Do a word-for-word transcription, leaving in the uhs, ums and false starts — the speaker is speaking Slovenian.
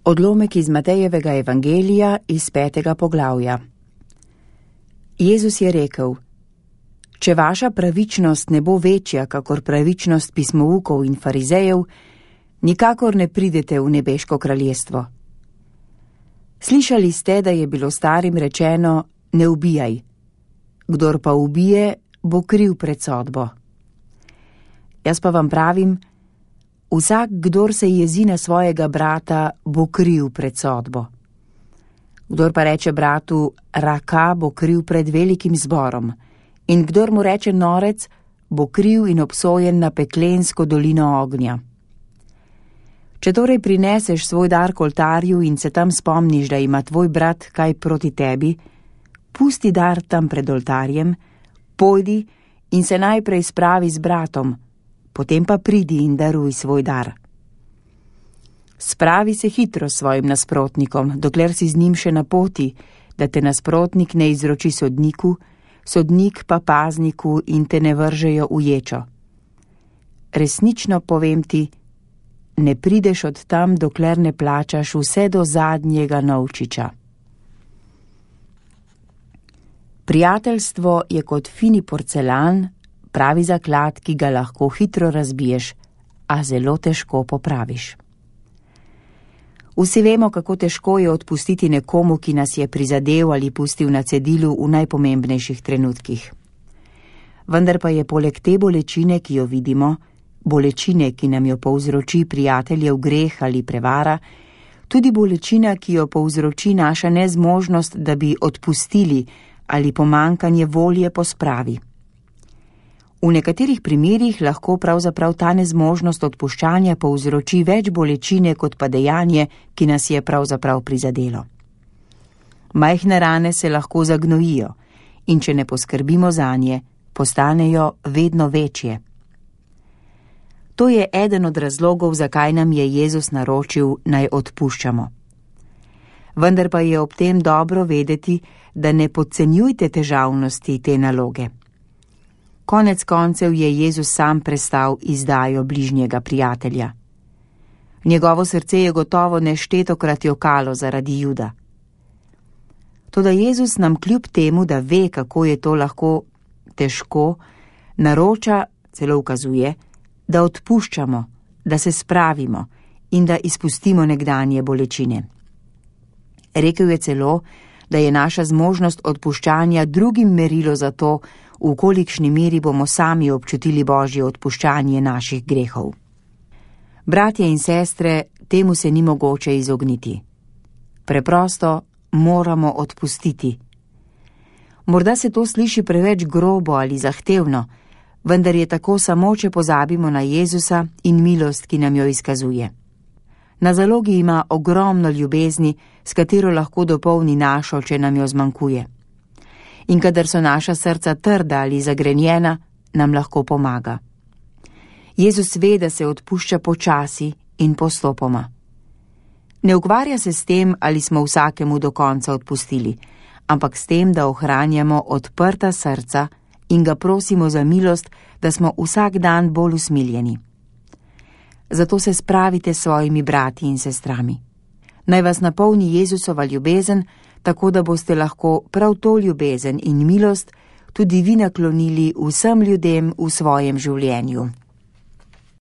Odlomek iz Matejevega evangelija iz petega poglavja. Jezus je rekel: Če vaša pravičnost ne bo večja, kakor pravičnost pismoukov in farizejev, nikakor ne pridete v nebeško kraljestvo. Slišali ste, da je bilo starim rečeno: ne ubijaj. Kdor pa ubije, bo kriv pred sodbo. Jaz pa vam pravim, vsak, kdor se jezi na svojega brata, bo kriv pred sodbo. Kdor pa reče bratu raka, bo kriv pred velikim zborom, in kdor mu reče norec, bo kriv in obsojen na peklensko dolino ognja. Če torej prineseš svoj dar k oltarju in se tam spomniš, da ima tvoj brat kaj proti tebi, pusti dar tam pred oltarjem, pojdi in se najprej spravi z bratom, potem pa pridi in daruj svoj dar. Spravi se hitro s svojim nasprotnikom, dokler si z njim še na poti, da te nasprotnik ne izroči sodniku, sodnik pa pazniku in te ne vržejo v ječo. Resnično povem ti, ne prideš od tam, dokler ne plačaš vse do zadnjega novčiča. Prijateljstvo je kot fini porcelan, pravi zaklad, ki ga lahko hitro razbiješ, a zelo težko popraviš. Vsi vemo, kako težko je odpustiti nekomu, ki nas je prizadel ali pustil na cedilu v najpomembnejših trenutkih. Vendar pa je poleg te bolečine, ki jo vidimo, bolečine, ki nam jo povzroči prijateljev greh ali prevara, tudi bolečina, ki jo povzroči naša nezmožnost, da bi odpustili ali pomankanje volje po spravi. V nekaterih primerih lahko pravzaprav ta nezmožnost odpuščanja povzroči več bolečine kot pa dejanje, ki nas je pravzaprav prizadelo. Majhne rane se lahko zagnojijo in če ne poskrbimo zanje, postanejo vedno večje. To je eden od razlogov, zakaj nam je Jezus naročil, naj odpuščamo. Vendar pa je ob tem dobro vedeti, da ne podcenjujte težavnosti te naloge. Konec koncev je Jezus sam prestal izdajo bližnjega prijatelja. Njegovo srce je gotovo neštetokrat jokalo zaradi Juda. Toda Jezus nam kljub temu, da ve, kako je to lahko težko, naroča, celo ukazuje, da odpuščamo, da se spravimo in da izpustimo nekdanje bolečine. Rekel je celo, da je naša zmožnost odpuščanja drugim merilo za to, v kolikšni meri bomo sami občutili Božje odpuščanje naših grehov. Bratje in sestre, temu se ni mogoče izogniti. Preprosto moramo odpustiti. Morda se to sliši preveč grobo ali zahtevno, vendar je tako samo, če pozabimo na Jezusa in milost, ki nam jo izkazuje. Na zalogi ima ogromno ljubezni, s katero lahko dopolni našo, če nam jo zmanjkuje. In kadar so naša srca trda ali zagrenjena, nam lahko pomaga. Jezus ve, da se odpušča počasi in postopoma. Ne ukvarja se s tem, ali smo vsakemu do konca odpustili, ampak s tem, da ohranjamo odprta srca in ga prosimo za milost, da smo vsak dan bolj usmiljeni. Zato se spravite s svojimi brati in sestrami. Naj vas napolni Jezusova ljubezen, tako da boste lahko prav to ljubezen in milost tudi vi naklonili vsem ljudem v svojem življenju.